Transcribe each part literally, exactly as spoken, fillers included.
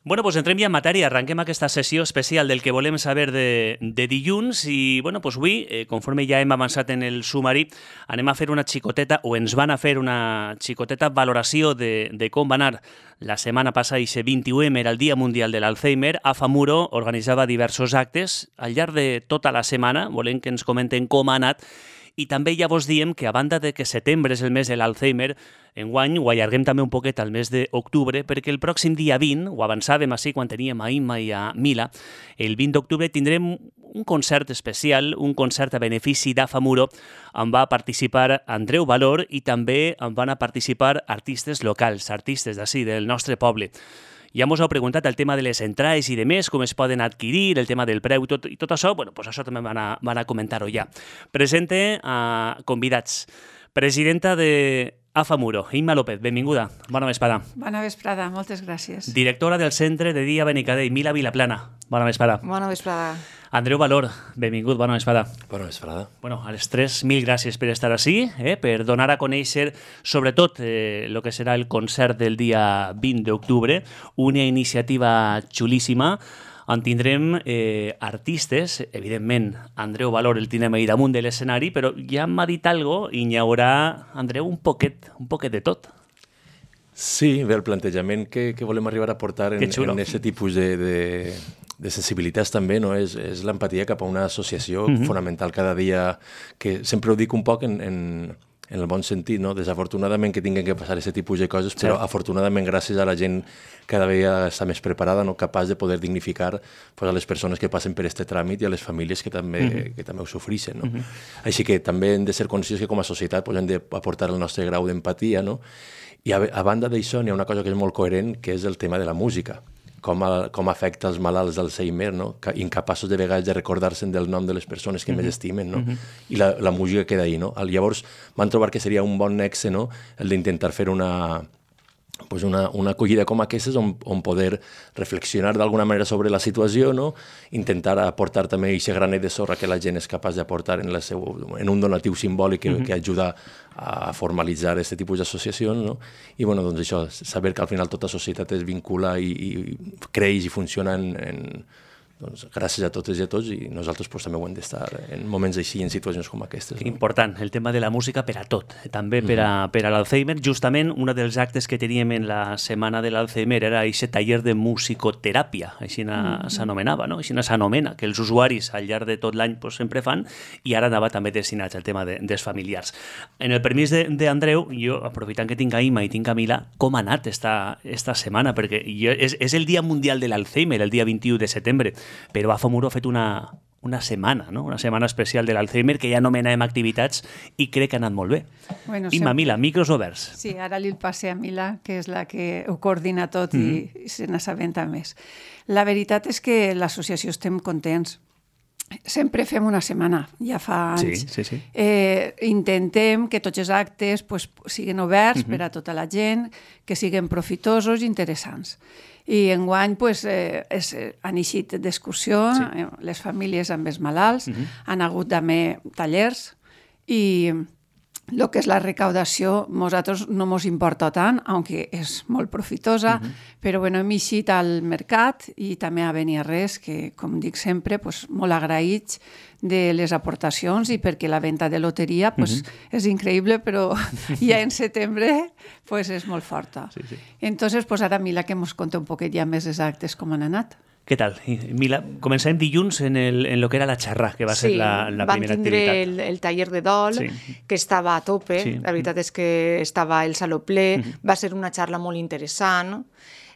Bueno, doncs entrem ja en matèria, arrenquem aquesta sessió especial del que volem saber de, de dilluns i, bueno, doncs avui, eh, conforme ja hem avançat en el sumari, anem a fer una xicoteta, o ens van a fer una xicoteta valoració de, de com va anar la setmana passada, i ese vint-i-u eme era el Dia Mundial de l'Alzheimer. AFAMURO organitzava diversos actes al llarg de tota la setmana, volem que ens comenten com ha anat. I també ja vos diem que, a banda de que setembre és el mes de l'Alzheimer, enguany ho allarguem també un poquet al mes d'octubre, perquè el pròxim dia vint, ho avançàvem així quan teníem a Imma i a Mila, el vint d'octubre tindrem un concert especial, un concert a benefici d'AFAMURO, on va participar Andreu Valor i també on van a participar artistes locals, artistes d'ací, del nostre poble. Ja mos heu preguntat el tema de les entrades i de més, com es poden adquirir, el tema del preu i tot, i tot això, bueno, doncs això també van a, van a comentar-ho ja. Presente a convidats. Presidenta de AFAMURO, Imma López, benvinguda. Bona vesprada. Bona vesprada, moltes gràcies. Directora del Centre de Dia Benicadell, Mila Vilaplana. Bona vesprada. Bona vesprada. Andreu Valor, benvingut, bona vesprada. Bona vesprada. Bueno, a les tres, mil gràcies per estar així, eh, per donar a conèixer, sobretot, el eh, que serà el concert del dia vint d'octubre, una iniciativa xulíssima, on tindrem eh, artistes, evidentment, Andreu Valor el tindrem ahir damunt de l'escenari, però ja m'ha dit algo i n'hi haurà, Andreu, un poquet, un poquet de tot. Sí, bé, el plantejament que, que volem arribar a portar en aquest tipus de, de, de sensibilitats també, no? és, és l'empatia cap a una associació uh-huh. fonamental cada dia, que sempre ho dic un poc en, en, en el bon sentit, no? Desafortunadament que tinguin que passar aquest tipus de coses, però sí. afortunadament gràcies a la gent cada vegada està més preparada, no? Capaç de poder dignificar pues, a les persones que passen per aquest tràmit i a les famílies que també, uh-huh. que també ho sofreixen. No? Uh-huh. Així que també hem de ser conscients que com a societat pues, hem d'aportar el nostre grau d'empatia, no? I a, a banda d'això n'hi ha una cosa que és molt coherent, que és el tema de la música. Com, a, com afecta els malalts d'Alzheimer, no? Incapaços de vegades de recordar-se'n del nom de les persones que uh-huh. més estimen, no? Uh-huh. I la, la música queda ahí, no? Llavors van trobar que seria un bon nexe, no? El d'intentar fer una, pues una, una acollida com aquestes on, on poder reflexionar d'alguna manera sobre la situació, no? Intentar aportar també aquest granet de sorra que la gent és capaç d'aportar en, la seu, en un donatiu simbòlic que, uh-huh. que ajuda a formalitzar aquest tipus d'associacions, no? I bueno, doncs això, saber que al final tota societat es vincula i, i creix i funciona en, en, doncs, gràcies a totes i a tots, i nosaltres pues, també ho hem d'estar en moments així, en situacions com aquestes. No? Important, el tema de la música per a tot, també per a, per a l'Alzheimer. Justament, un dels actes que teníem en la setmana de l'Alzheimer era aquest taller de musicoteràpia, així s'anomenava, no? Així s'anomena, que els usuaris al llarg de tot l'any pues, sempre fan, i ara anava també destinats al tema de, dels familiars. En el permís d'Andreu, jo, aprofitant que tinc a Imma i tinc a Mila, com ha anat esta, esta setmana? Perquè jo, és, és el Dia Mundial de l'Alzheimer, el dia vint-i-u de setembre, però AFAMURO ha fet una, una setmana, no? Una setmana especial de l'Alzheimer que ja anomenàvem activitats i crec que ha anat molt bé. Bueno, Imma, sempre... Mila, micros oberts. Sí, ara li el passe a Mila, que és la que ho coordina tot mm. i, i se n'assabenta més. La veritat és que l'associació estem contents. Sempre fem una setmana, ja fa anys. Sí, sí, sí. Eh, intentem que tots els actes pues, siguin oberts uh-huh. per a tota la gent, que siguin profitosos i interessants. I enguany pues, eh, és, han eixit d'excursió, sí. les famílies amb els malalts, uh-huh. han hagut també tallers i el que és la recaudació, nosaltres no ens importa tant, aunque és molt profitosa, uh-huh. però bueno, hem eixit al mercat i també a Beniarrés, que com dic sempre, pues, molt agraïts de les aportacions i perquè la venda de loteria pues, uh-huh. és increïble, però ja en setembre pues, és molt forta. Sí, sí. Entonces, pues, ara Mila que ens conta un poquet ja més exactes com han anat. Què tal? Mila, començàvem dilluns en, el, en lo que era la xarra, que va sí, ser la, la primera activitat. Sí, van tindre el, el taller de dol, sí. que estava a tope, sí. la veritat és que estava el saló ple, uh-huh. va ser una xarra molt interessant,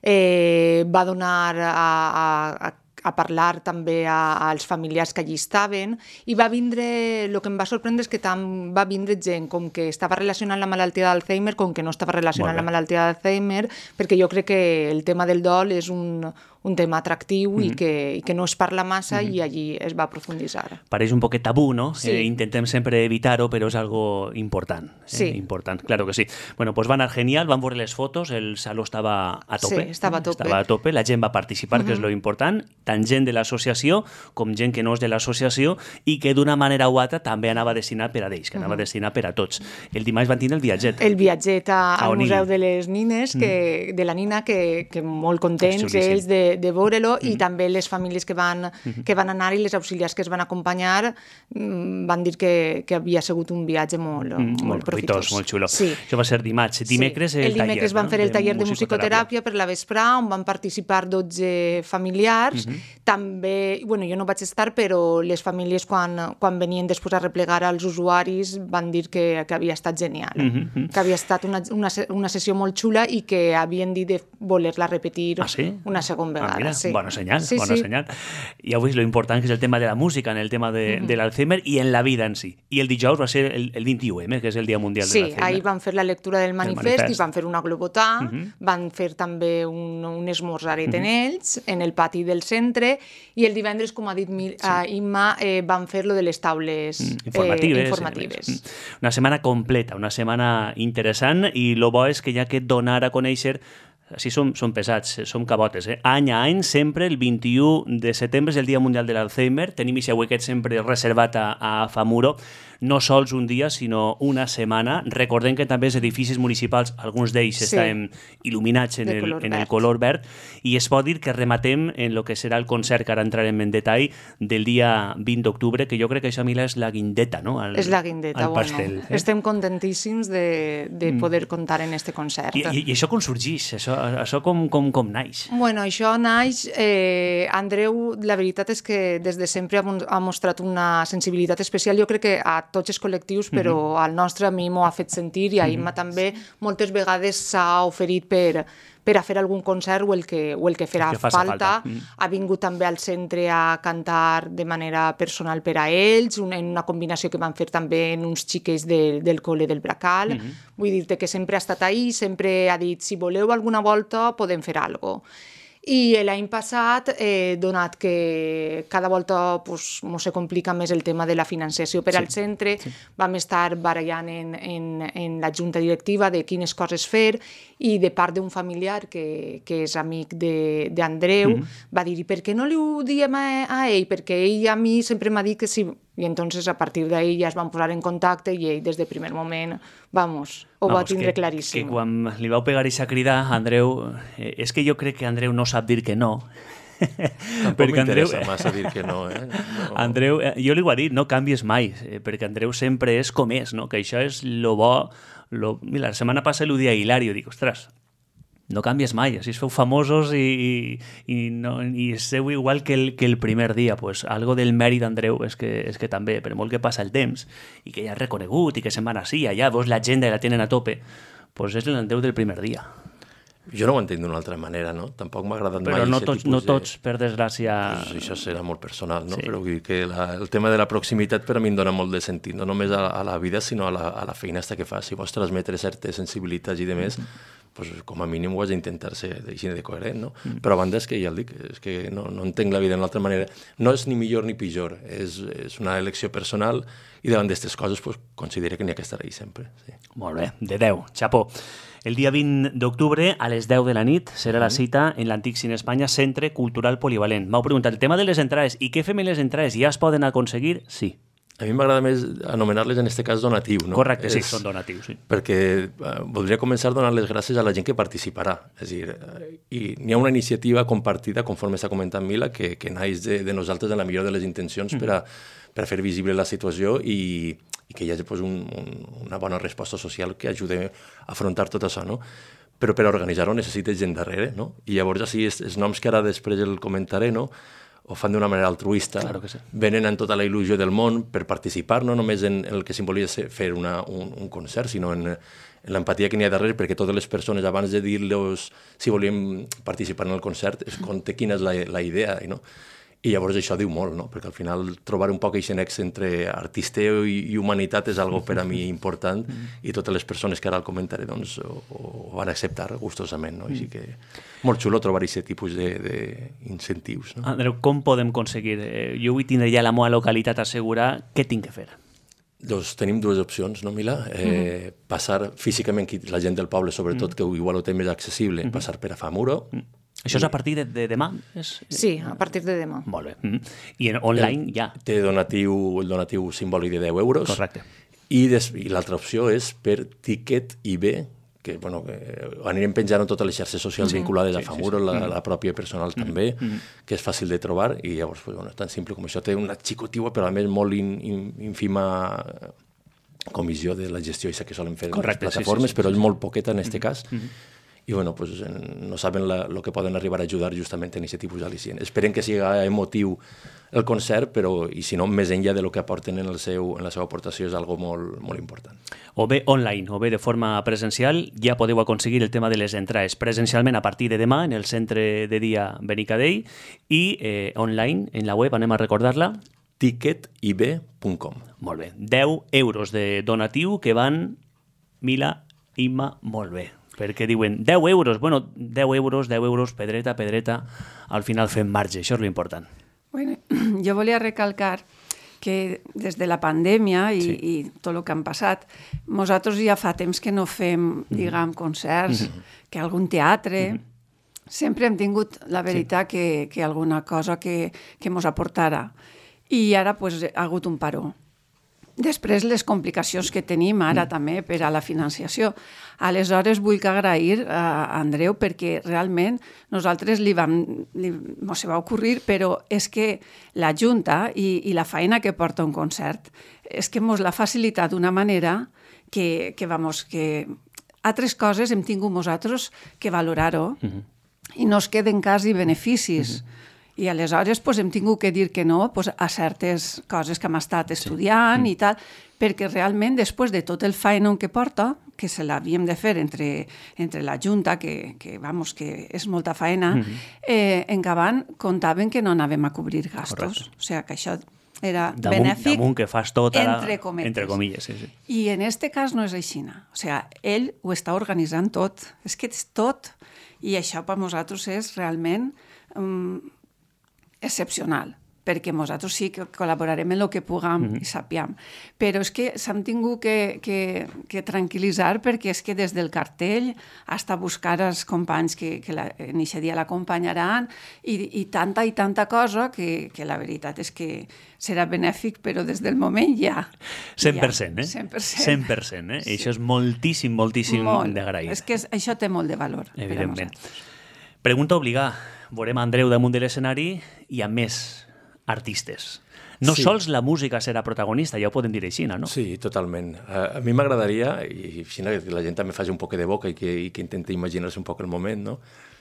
eh, va donar a, a, a a parlar també a, als familiars que allí estaven, i va vindre, el que em va sorprendre és que tant va vindre gent com que estava relacionant la malaltia d'Alzheimer com que no estava relacionant la malaltia d'Alzheimer, perquè jo crec que el tema del dol és un, un tema atractiu mm-hmm. i, que, i que no es parla massa mm-hmm. i allí es va profunditzar. Pareix un poquet tabú, no? Sí. Eh, intentem sempre evitar-ho, però és algo important. Eh? Sí. Important, claro que sí. Bueno, pues va anar genial, van veure les fotos, el saló estava a tope. Sí, estava a tope. Estava a tope, la gent va participar, mm-hmm. que és lo important. tant gent de l'associació com gent que no és de l'associació i que d'una manera o altra també anava destinat per a ells, que anava mm. destinat per a tots. El dimarts van tindre el viatget. El viatget a, al Museu de les Nines, que, mm. de la Nina, que, que molt contents ells de, de veure-lo, mm. i també les famílies que van, mm. que van anar i les auxiliars que es van acompanyar van dir que, que havia sigut un viatge molt, mm. molt, molt profitós. Molt xulo. Sí. Això va ser dimarts. Dimecres sí. el, el taller. El dimecres van no? fer el taller de, de musicoteràpia per la vesprà, on van participar dotze familiars. Mm-hmm. També, bueno, jo no vaig estar, però les famílies quan, quan venien després a replegar als usuaris van dir que, que havia estat genial, mm-hmm. que havia estat una, una, una sessió molt xula i que havien dit de voler-la repetir ah, sí? una segona vegada. Ah, mira, sí. Bona senyal, sí, bona sí. senyal. I avui lo important que és el tema de la música, en el tema de, mm-hmm. de l'Alzheimer i en la vida en si. I el dijous va ser el, el vint-i-u eme, que és el Dia Mundial sí, de l'Alzheimer. Sí, ahir van fer la lectura del manifest, manifest. i van fer una globotà, mm-hmm. van fer també un, un esmorzaret mm-hmm. en ells, en el pati del centre, i el divendres, com ha dit sí. uh, Imma, eh, van fer lo de les taules mm, informatives. Eh, informatives. Mm. Una setmana completa, una setmana interessant, i el bo és que ja que donar a conèixer així som, som pesats, som cabotes, eh? Any a any, sempre el vint-i-u de setembre és el Dia Mundial de l'Alzheimer. Tenim aquest weekend sempre reservat a, a Famuro, no sols un dia, sinó una setmana. Recordem que també els edificis municipals, alguns d'ells sí. estan il·luminats en, el, en el color verd, i es pot dir que rematem en el que serà el concert, que ara entrarem en detall, del dia vint d'octubre, que jo crec que això, Mila, és la guindeta, no? Al, és la guindeta, al pastel, bueno. Eh? Estem contentíssims de, de mm. poder comptar en este concert. I, i, i això com sorgeix? Això, això com, com, com naix? Bueno, això naix... Eh, Andreu, la veritat és que des de sempre ha, ha mostrat una sensibilitat especial. Jo crec que a tots els col·lectius, però mm-hmm. al nostre a mi m'ho ha fet sentir, i a Imma mm-hmm. també moltes vegades s'ha oferit per, per a fer algun concert o el que, o el que farà que falta. falta. Mm. Ha vingut també al centre a cantar de manera personal per a ells, una, en una combinació que van fer també en uns xiquets de, del col·le del Bracal. Mm-hmm. Vull dir-te que sempre ha estat ahí, sempre ha dit, si voleu alguna volta podem fer alguna cosa. I l'any passat, eh, donat que cada volta pues, mos se complica més el tema de la financiació per sí, al centre, sí. vam estar barallant en, en, en la junta directiva de quines coses fer, i de part d'un familiar que, que és amic d'Andreu, mm-hmm. va dir, per què no li ho diem a, a ell? Perquè ell a mi sempre m'ha dit que sí. I entonces a partir d'ahí ja es van posar en contacte i ell des del primer moment, vamos, ho vamos, va tindre que, claríssim. Que quan li vau pegar aquesta crida, Andreu, eh, és que jo crec que Andreu no sap dir que no. Tampoc m'interessa Andreu... massa dir que no, eh? No. Andreu, eh, jo li ho he dit, no canvies mai, eh, perquè Andreu sempre és com és, no? Que això és lo bo. Lo... Mira, la setmana passada l'ho dia a Hilario, dic, ostres, no canvies mai, així es feu famosos i, i, i, no, i seu igual que el, que el primer dia. Pues algo del mèrit d'Andreu és que, és que també, per molt que passa el temps i que ja ha reconegut i que se'n van així, allà, vos l'agenda i la tenen a tope, pues és l'Andreu del primer dia. Jo no ho entenc d'una altra manera, no? Tampoc m'ha agradat Però mai no aquest tots, tipus no de... tots, per desgràcia... Pues això serà molt personal, no? Sí. Però vull dir que la, el tema de la proximitat per a mi em dona molt de sentit, no només a, a la vida, sinó a la, a la feina que fas. Si vols transmetre certes sensibilitats i de més, mm-hmm. pues, com a mínim ho has d'intentar ser així de coherent, no? Mm. Però a banda és que ja el dic, és que no, no entenc la vida d'una altra manera. No és ni millor ni pitjor, és, és una elecció personal i davant d'aquestes coses pues, considero que n'hi ha que estar ahí sempre. Sí. Molt bé, de deu, xapó. El dia vint d'octubre, a les deu de la nit, serà la cita en l'Antic Cine Espanya, Centre Cultural Polivalent. M'heu preguntat el tema de les entrades. I què fem amb les entrades? Ja es poden aconseguir? Sí. A mi m'agrada més anomenar-les en aquest cas donatiu, no? Correcte, sí, és, són donatius, sí. Perquè eh, voldria començar donant les gràcies a la gent que participarà. És a dir, eh, i n'hi ha una iniciativa compartida, conforme s'ha comentat Mila, que, que naix de, de nosaltres en la millor de les intencions mm. per, a, per a fer visible la situació i, i que hi hagi pues, un, un, una bona resposta social que ajudi a afrontar tot això, no? Però per organitzar-ho necessites gent darrere, no? I llavors, així, els, els noms que ara després el comentaré, no?, ho fan d'una manera altruista, claro que sí. Venen amb tota la il·lusió del món per participar, no només en el que simbolitza fer una, un, un concert, sinó en, en l'empatia que n'hi ha darrere, perquè totes les persones, abans de dir-los si volíem participar en el concert, es conta quina és la, la idea, no? I llavors això diu molt, no? Perquè al final trobar un poc aquest nexe entre artisteo i, i humanitat és algo per a mi important i totes les persones que ara el comentaré doncs, ho, ho van acceptar gustosament, no? Així que molt xulo trobar aquest tipus d'incentius. No? Andreu, com podem aconseguir? Eh, jo vull tindre ja la meva localitat assegurada. Què tinc que fer? Doncs tenim dues opcions, no, Mila? Eh, mm-hmm. Passar físicament, la gent del poble, sobretot, mm-hmm. que igual ho té més accessible, mm-hmm. passar per a Famuro, mm-hmm. Això és a partir de, de demà? És... Sí, a partir de demà. Molt bé. Mm. I en online el, ja? Té donatiu, el donatiu simbòlic de deu euros. Correcte. I, des, i l'altra opció és per Ticket I B, que, bueno, que anirem penjant en totes les xarxes socials sí. vinculades sí, a Famuro, sí, sí. La, la pròpia personal mm. també, mm. que és fàcil de trobar, i llavors, pues, bueno, tan simple com això. Té una xicotiua, però a més molt in, in, ínfima comissió de la gestió que solen fer Correcte, les plataformes, sí, sí, sí, però és molt poqueta en aquest mm. cas. Mm. I bueno, pues, no saben el que poden arribar a ajudar justament en aquest tipus d'al·licient. Esperem que sigui emotiu el concert, però, i si no, més enllà de lo que aporten en, el seu, en la seva aportació, és algo molt, molt important. O bé online, o bé de forma presencial, ja podeu aconseguir el tema de les entrades presencialment a partir de demà en el centre de dia Benicadell i eh, online, en la web, anem a recordar-la, ticket i b punt com. Molt bé. deu euros de donatiu que van Mila, Imma, molt bé. Perquè diuen deu euros, bueno, deu euros, deu euros, pedreta, pedreta, al final fem marge, això és l'important. Bueno, jo volia recalcar que des de la pandèmia i, sí. i tot el que han passat, nosaltres ja fa temps que no fem, diguem, concerts, mm-hmm. que algun teatre... Mm-hmm. Sempre hem tingut la veritat sí. que, que alguna cosa que, que mos aportara. I ara pues, ha hagut un paró. Després, les complicacions que tenim ara mm. també per a la financiació. Aleshores, vull que agrair a Andreu perquè realment nosaltres li vam, li, mos va ocorrir, però és que la Junta i, i la feina que porta un concert és que mos l'ha facilitat d'una manera que, que, vamos, que altres coses hem tingut nosaltres que valorar-ho mm-hmm. i no es queden quasi beneficis. Mm-hmm. I aleshores pues, hem tingut que dir que no pues, a certes coses que hem estat estudiant sí. i tal, perquè realment després de tot el feina que porta, que se l'havíem de fer entre, entre la Junta, que, que, vamos, que és molta feina, mm-hmm. eh, en Gavant comptaven que no anàvem a cobrir gastos. Correcte. O sigui que això era damunt, benèfic damunt que fas tot ara, entre comilles. Entre comilles sí, sí. I en este cas no és així. O sigui, ell ho està organitzant tot. És que és tot. I això per nosaltres és realment... Um, excepcional, perquè nosaltres sí que col·laborarem en el que puguem mm-hmm. i sapiem. Però és que s'han tingut que, que, que tranquil·litzar perquè és que des del cartell fins a buscar els companys que, que la, en aquest dia l'acompanyaran i, i tanta i tanta cosa que, que la veritat és que serà benèfic, però des del moment ja. cent per cent, ja, eh? cent per cent. cent per cent, eh? Sí. I això és moltíssim, moltíssim molt. d'agrair. És que això té molt de valor. Evidentment. Pregunta obligada. Veurem Andreu damunt de l'escenari i a més artistes. No sí. sols la música serà protagonista, ja ho podem dir així, no? Sí, totalment. Uh, a mi m'agradaria, i si no, que la gent també faci un poc de boca i que, i que intenti imaginar-se un poc el moment, no?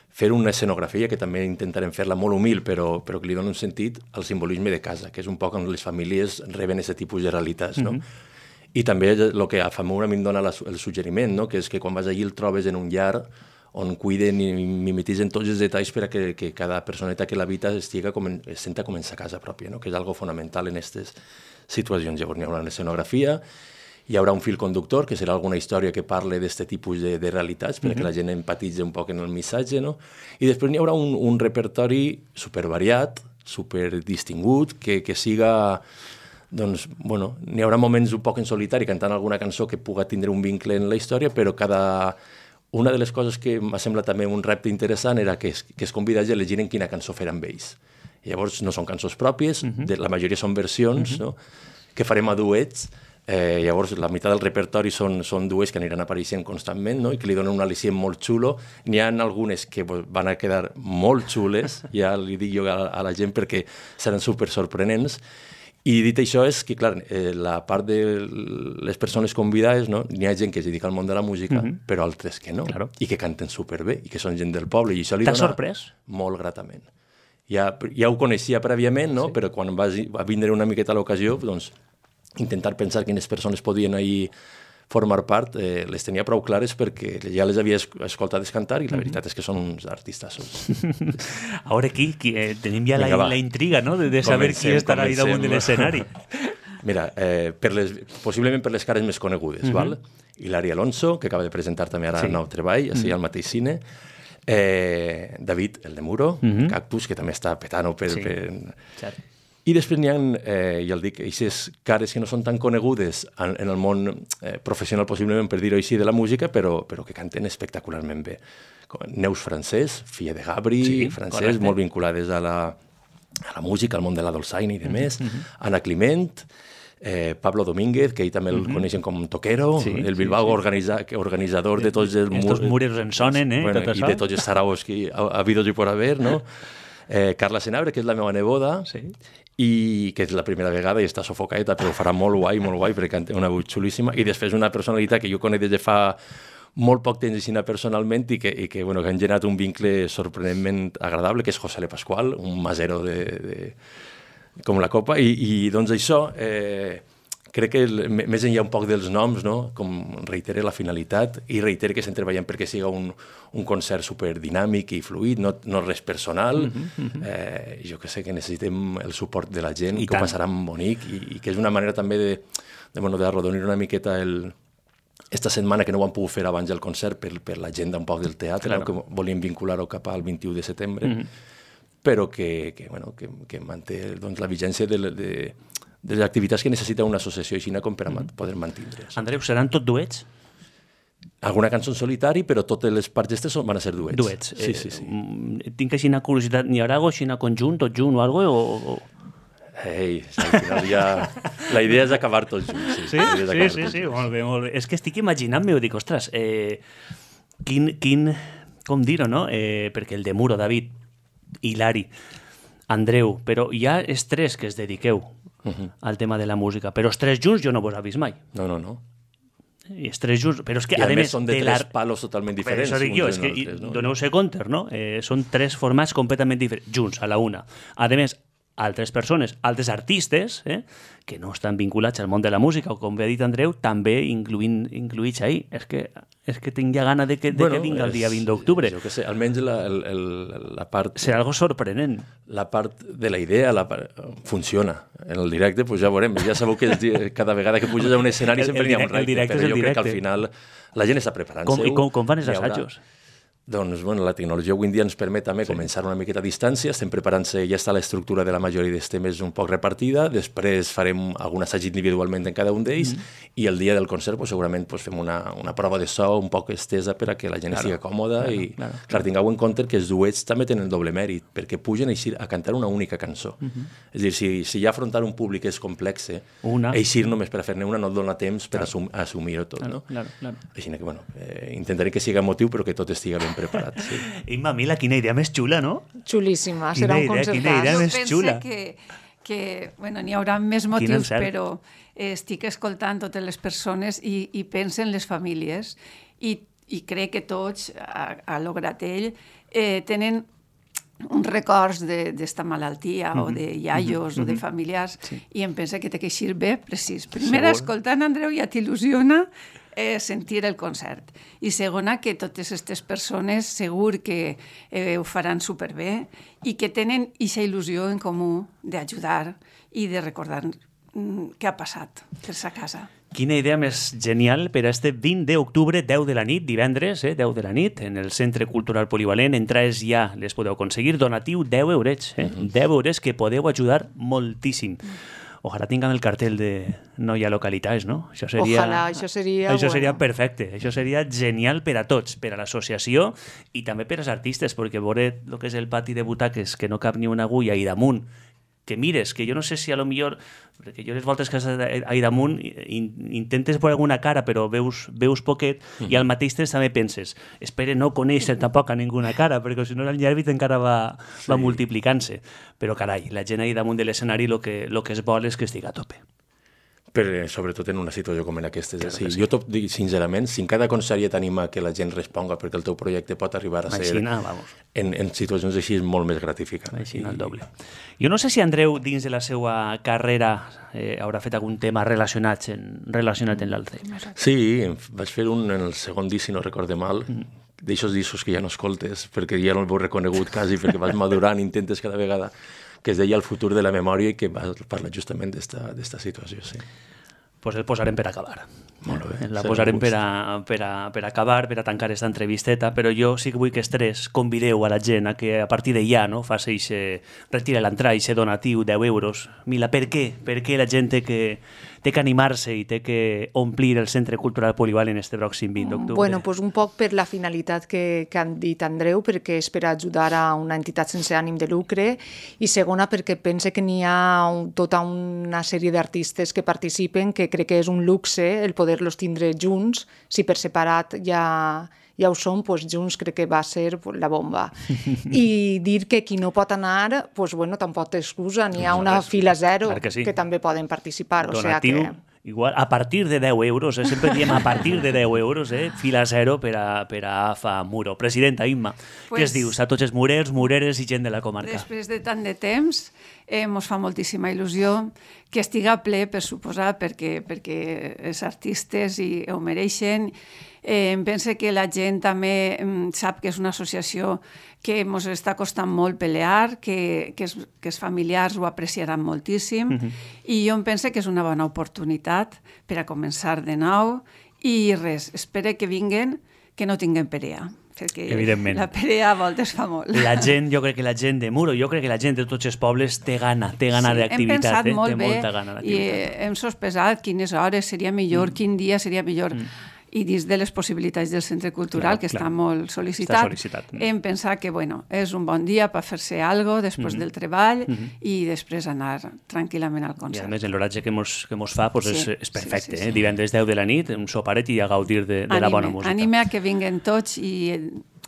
Fer una escenografia, que també intentarem fer-la molt humil, però, però que li doni un sentit al simbolisme de casa, que és un poc on les famílies reben aquest tipus de realitats, no? Mm-hmm. I també el que a Famura a mi em dona la, el suggeriment, no? Que és que quan vas allí el trobes en un llar on cuiden i mimetitzen tots els detalls per a que, que cada personeta que l'habita estiga com en, es senta com en sa casa pròpia, no? Que és algo fonamental en aquestes situacions. Llavors hi haurà una escenografia, hi haurà un fil conductor, que serà alguna història que parle d'aquest tipus de, de realitats, perquè mm-hmm. la gent empatitzi un poc en el missatge, no? I després n'hi haurà un, un repertori supervariat, superdistingut, que, que siga... Doncs, bueno, n'hi haurà moments un poc en solitari cantant alguna cançó que puga tindre un vincle en la història, però cada... Una de les coses que m'ha semblat també un repte interessant era que es, que es convidés a elegir en quina cançó fer amb ells. I llavors no són cançons pròpies, uh-huh. de, la majoria són versions, uh-huh. no? Que farem a duets. Eh, llavors la meitat del repertori són, són duets que aniran apareixent constantment, no? I que li donen un al·licient molt xulo. N'hi ha algunes que van a quedar molt xules, ja li dic jo a, a la gent perquè seran super sorprenents. I dit això és que, clar, eh, la part de les persones convidades, no? N'hi ha gent que es dedica al món de la música, mm-hmm. però altres que no, claro. I que canten superbé, i que són gent del poble, i això li dona sorprès? Molt gratament. Ja, ja ho coneixia prèviament, no? Sí. Però quan va, va vindre una miqueta a l'ocasió, doncs, intentar pensar quines persones podien ahir formar part, eh, les tenia prou clares perquè ja les havia escoltat cantar i la veritat és que són uns artistes. Ara aquí, aquí eh, tenim ja la, la intriga, no?, de, de saber comencem, qui estarà ahí damunt de l'escenari. Mira, eh, per les, possiblement per les cares més conegudes, uh-huh. val? Hilari Alonso, que acaba de presentar també ara sí. el nou treball, així uh-huh. al mateix cine, eh, David, el de Muro, uh-huh. Cactus, que també està petant-ho per... Sí. per... I després n'hi ha, eh, ja el dic, aquestes cares que no són tan conegudes en, en el món eh, professional, possiblement, per dir-ho així, de la música, però, però que canten espectacularment bé. Com Neus Francés, filla de Gabri, sí, francès, correcte. Molt vinculades a la, a la música, al món de la dolçaina i de més. Mm -hmm. Anna Climent, eh, Pablo Domínguez, que ell també el mm -hmm. coneixen com toquero, sí, el Bilbao sí, sí. Organiza, organitzador de tots els... Estos muros en sonen, eh? Bueno, tot I de tots els saraos que ha, ha habido y por haver, no? Eh, Carla Senabre, que és la meva neboda, sí. i que és la primera vegada i està sofocada, però ho farà molt guai, molt guai, perquè canta una veu xulíssima. I després una personalitat que jo conec des de fa molt poc temps així personalment i que, i que, bueno, que han generat un vincle sorprenentment agradable, que és José Le Pascual, un masero de, de, com la copa. I, i doncs això, eh, crec que el, més enllà un poc dels noms, no? Com reitere la finalitat i reitere que estem treballant perquè siga un, un concert superdinàmic i fluid, no, no res personal. Mm-hmm, mm-hmm. Eh, jo que sé que necessitem el suport de la gent, I que tant. Ho passaran bonic i, i que és una manera també de, de, bueno, de arrodonir una miqueta el... Esta setmana que no ho han pogut fer abans del concert per, per l'agenda un poc del teatre, claro. No? Que volíem vincular-ho cap al vint-i-u de setembre, mm-hmm. però que, que, bueno, que, que manté doncs, la vigència de, de, de les activitats que necessita una associació així com per a mm-hmm. poder mantindre's. Andreu, seran tot duets? Alguna cançó en solitari, però totes les parts d'estes van a ser duets. Duets. Sí, eh, sí, sí. Tinc així una curiositat, n'hi haurà algo així conjunt, tot junt o alguna cosa? O... Ei, al final ja... La idea és acabar tots junts. Sí, sí, sí, sí, sí, molt bé, molt bé. És que estic imaginant-me, ho dic, ostres, eh, quin, quin, com dir-ho, no? Eh, perquè el de Muro, David, Hilari, Andreu, però hi ha els tres que es dediqueu uh-huh. al tema de la música, però els tres junts jo no vos he vist mai. No, no, no. I els tres junts, però és que I a, a més són de tres palos totalment diferents. Això dic jo, és que altres, no? Doneu-se compte, no? Eh, són tres formats completament diferents, junts, a la una. A més, altres persones, altres artistes, eh, que no estan vinculats al món de la música, o com bé ha dit Andreu, també incluint, incluïts ahí. És que, és que tinc ja gana de que, de bueno, que vinga el dia vint d'octubre. Jo què sé, almenys la, el, el, la part... Serà algo sorprenent. La part de la idea la part, funciona. En el directe, pues ja veurem. Ja sabeu que cada vegada que puges a un escenari sempre n'hi ha un repte, però jo crec que al final la gent està preparant-se. I com, com fan els assajos? Doncs bueno, la tecnologia avui en dia ens permet també sí. començar una miqueta a distància, estem preparant-se, ja està l'estructura de la majoria dels temes un poc repartida, després farem algun assaig individualment en cada un d'ells mm -hmm. i el dia del concert pues, segurament pues, fem una, una prova de so un poc estesa per a que la gent claro, estigui còmoda claro, i claro, clar, tingueu en compte que els duets també tenen doble mèrit, perquè pugen eixir a cantar una única cançó. Mm -hmm. És a dir, si, si ja afrontar un públic és complex, una. eixir només per a fer-ne una no et dona temps per claro. assum, assumir-ho tot. Claro, no? claro, claro. Així que bueno, eh, intentaré que siga motiu però que tot estigui ben preparat. Sí. Imma, Mila, quina idea més xula, no? Xulíssima, serà un concertàs. Quina idea més xula. Que, que bueno, n'hi haurà més motius, però estic escoltant totes les persones i, i pensen les famílies i, i crec que tots, a, a l'Ogratell, eh, tenen uns records d'esta malaltia mm -hmm. o de iaios mm -hmm. o de familiars sí. i em pensa que té que eixir bé, precís. Primera, escoltant Andreu ja t'il·lusiona eh, sentir el concert. I segona, que totes aquestes persones segur que eh, ho faran superbé i que tenen aquesta il·lusió en comú d'ajudar i de recordar mm, què ha passat per sa casa. Quina idea més genial per a este vint d'octubre, deu de la nit, divendres, eh, deu de la nit, en el Centre Cultural Polivalent. Entrades ja les podeu aconseguir. Donatiu deu eurets, eh? Uh-huh. deu eurets que podeu ajudar moltíssim. Ojalà tinguem el cartel de no hi ha localitats, no? Això seria, Ojalà, això seria... Això bueno. seria perfecte. Això seria genial per a tots, per a l'associació i també per als artistes, perquè veure el que és el pati de butaques, que no cap ni una agulla i damunt, que mires, que jo no sé si a lo millor, perquè jo les voltes que has ahí damunt in, intentes veure alguna cara però veus, veus poquet mm-hmm. i al mateix temps també penses, espere no conèixer tampoc a ninguna cara perquè si no el llerbit encara va, sí. va multiplicant-se, però carai, la gent ahí damunt de l'escenari el que, lo que es vol és que estigui a tope. Però sobretot en una situació com en aquesta. Claro sí. Sí. Jo t'ho dic sincerament, si en cada concert ja t'anima que la gent responga perquè el teu projecte pot arribar a ser Aixina, vamos. En, en situacions així és molt més gratificant. Aixina, el doble. Jo no sé si Andreu, dins de la seva carrera, eh, haurà fet algun tema relacionat en, relacionat en l'Alzheimer. Sí, vaig fer un en el segon disc, si no recorde mal, mm. d'aixòs discos que ja no escoltes, perquè ja no el veu reconegut quasi, perquè vas madurant, intentes cada vegada, que es deia El futur de la memòria i que va parlar justament d'esta situació, sí. Pues el posarem per acabar. Molt bé. La posarem per, a, per, a, per acabar, per a tancar aquesta entrevisteta, però jo sí que vull que els tres convideu a la gent a que a partir de ja no, faci ixe, retire l'entrada, ixe donatiu, deu euros. Mila, per què? Per què la gent té que, té que animar-se i té que omplir el Centre Cultural Polivalent este pròxim vint d'octubre? Bueno, pues un poc per la finalitat que, que han dit Andreu, perquè és per ajudar a una entitat sense ànim de lucre, i segona perquè pense que n'hi ha un, tota una sèrie d'artistes que participen, que crec que és un luxe el poder-los tindre junts. Si per separat ja, ja ho són, doncs junts crec que va ser la bomba. I dir que qui no pot anar, doncs bueno, tampoc té excusa, n'hi ha una fila zero que, sí. que també poden participar. Donatiu, o sea que... igual, a partir de deu euros, eh? Sempre diem a partir de deu euros, eh? Fila zero per a, per a Fa Muro. Presidenta Imma, pues, què es dius a tots els murers, mureres i gent de la comarca? Després de tant de temps, eh, mos fa moltíssima il·lusió que estiga ple, per suposar, perquè, perquè els artistes i ho mereixen. Eh, em penso que la gent també sap que és una associació que ens està costant molt pelear, que, que, es, que els familiars ho apreciaran moltíssim, uh-huh. i jo em penso que és una bona oportunitat per a començar de nou, i res, espero que vinguen, que no tinguen perea, perquè evidentment. La perea a voltes fa molt. La gent, jo crec que la gent de Muro, jo crec que la gent de tots els pobles té gana, té gana sí, d'activitat, eh? té molta gana d'activitat. I hem sospesat quines hores seria millor, mm. quin dia seria millor. Mm. I dins de les possibilitats del Centre Cultural, clar, que clar. Està molt sol·licitat, està sol·licitat. Hem pensat que bueno, és un bon dia per fer-se alguna cosa després mm-hmm. del treball mm-hmm. i després anar tranquil·lament al concert. I a més, l'horatge que mos, que mos fa pues, sí, és, és perfecte. Sí, sí, sí. Eh? Divendres deu de la nit, un soparet i a gaudir de, de anime, la bona música. Anime a que vinguen tots i...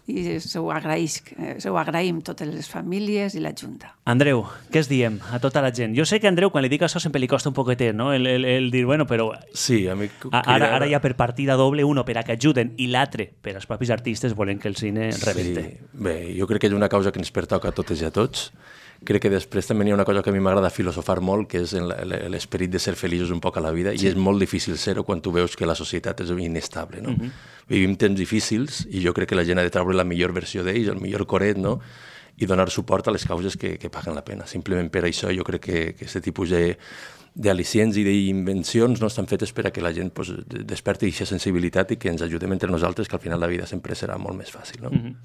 i se ho, agraïs, se ho agraïm totes les famílies i la Junta. Andreu, què es diem a tota la gent? Jo sé que Andreu, quan li dic això, sempre li costa un poquetet, no? El, el, el dir, bueno, però... Sí, a mi... Ara, ara ja per partida doble, uno per a que ajuden i l'altre per als propis artistes volen que el cine rebente. Sí. Bé, jo crec que és una causa que ens pertoca a totes i a tots. Crec que després també hi ha una cosa que a mi m'agrada filosofar molt, que és l'esperit de ser feliços un poc a la vida, sí. I és molt difícil ser-ho quan tu veus que la societat és inestable, no? Uh-huh. Vivim temps difícils i jo crec que la gent ha de treure la millor versió d'ells, el millor coret, no? I donar suport a les causes que, que paguen la pena. Simplement per això jo crec que aquest tipus de d'al·licients i d'invencions no estan fetes per a que la gent pues, desperti aquesta sensibilitat i que ens ajudem entre nosaltres, que al final la vida sempre serà molt més fàcil, no? Uh-huh.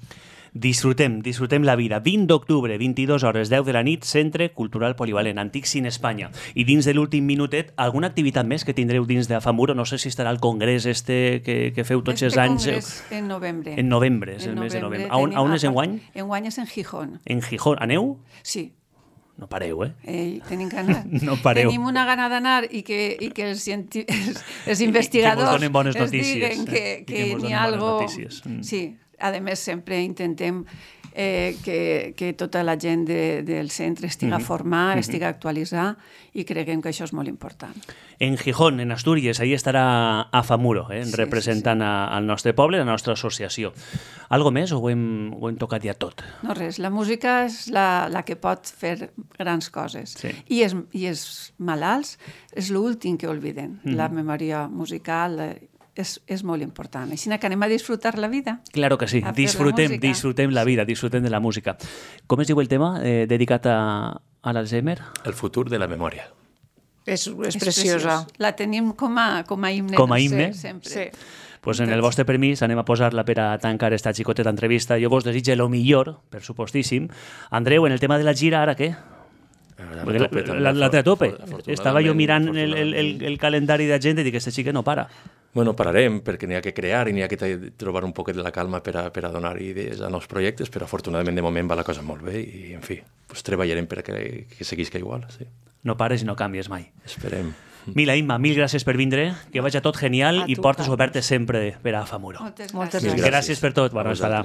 Disfrutem, disfrutem la vida. vint d'octubre, vint-i-dues hores, deu de la nit, Centre Cultural Polivalent, Antic Cine Espanya. I dins de l'últim minutet, alguna activitat més que tindreu dins de Fa Muro? No sé si estarà el congrés este que, que feu tots els anys. Este congrés en novembre. En novembre, és el mes de novembre. A on, a on és enguany? Enguany és en Gijón. En Gijón. Aneu? Sí. No pareu, eh? Ei, tenim gana. No pareu. Tenim una gana d'anar i que, i que els, cienti... els, els investigadors que ens bones ens notícies, diguen que, eh? que, que n'hi ha algo... Mm. Sí, a més sempre intentem eh, que, que tota la gent de, del centre estiga mm-hmm. formada, mm-hmm. estiga actualitzada i creguem que això és molt important. En Gijón, en Astúries, ahí estarà a Fa Muro, eh, sí, representant sí, sí. A, al nostre poble, la nostra associació. Algo més o ho hem, ho hem tocat ja tot? No res, la música és la, la que pot fer grans coses. Sí. I, els, I els malalts és l'últim que obliden, mm-hmm. la memòria musical, és, és molt important. Així que anem a disfrutar la vida. Claro que sí, disfrutem, la disfrutem la vida, disfrutem de la música. Com es diu el tema eh, dedicat a, a l'Alzheimer? El futur de la memòria. És, és, és preciosa. Preciós. La tenim com a, com a himne. Com a himne? Sí, sempre. Sí. Pues en el vostre permís anem a posar-la per a tancar esta xicoteta entrevista. Jo vos desitge lo millor, per supostíssim. Andreu, en el tema de la gira, ara què? La, la, la té a tope. Estava jo mirant el, el, el, el calendari de gent i dic, aquesta xica no para. Bueno, pararem, perquè n'hi ha que crear i n'hi ha que trobar un poquet de la calma per a, per a donar idees a nous projectes, però afortunadament de moment va la cosa molt bé i, en fi, pues, treballarem per a que, que seguisca igual. Sí. No pares i no canvies mai. Esperem. Mila, Imma, mil gràcies per vindre, que vagi tot genial a i portes obertes sempre per a Fa Muro. Moltes gràcies. Moltes gràcies. Gràcies per tot, bona estada.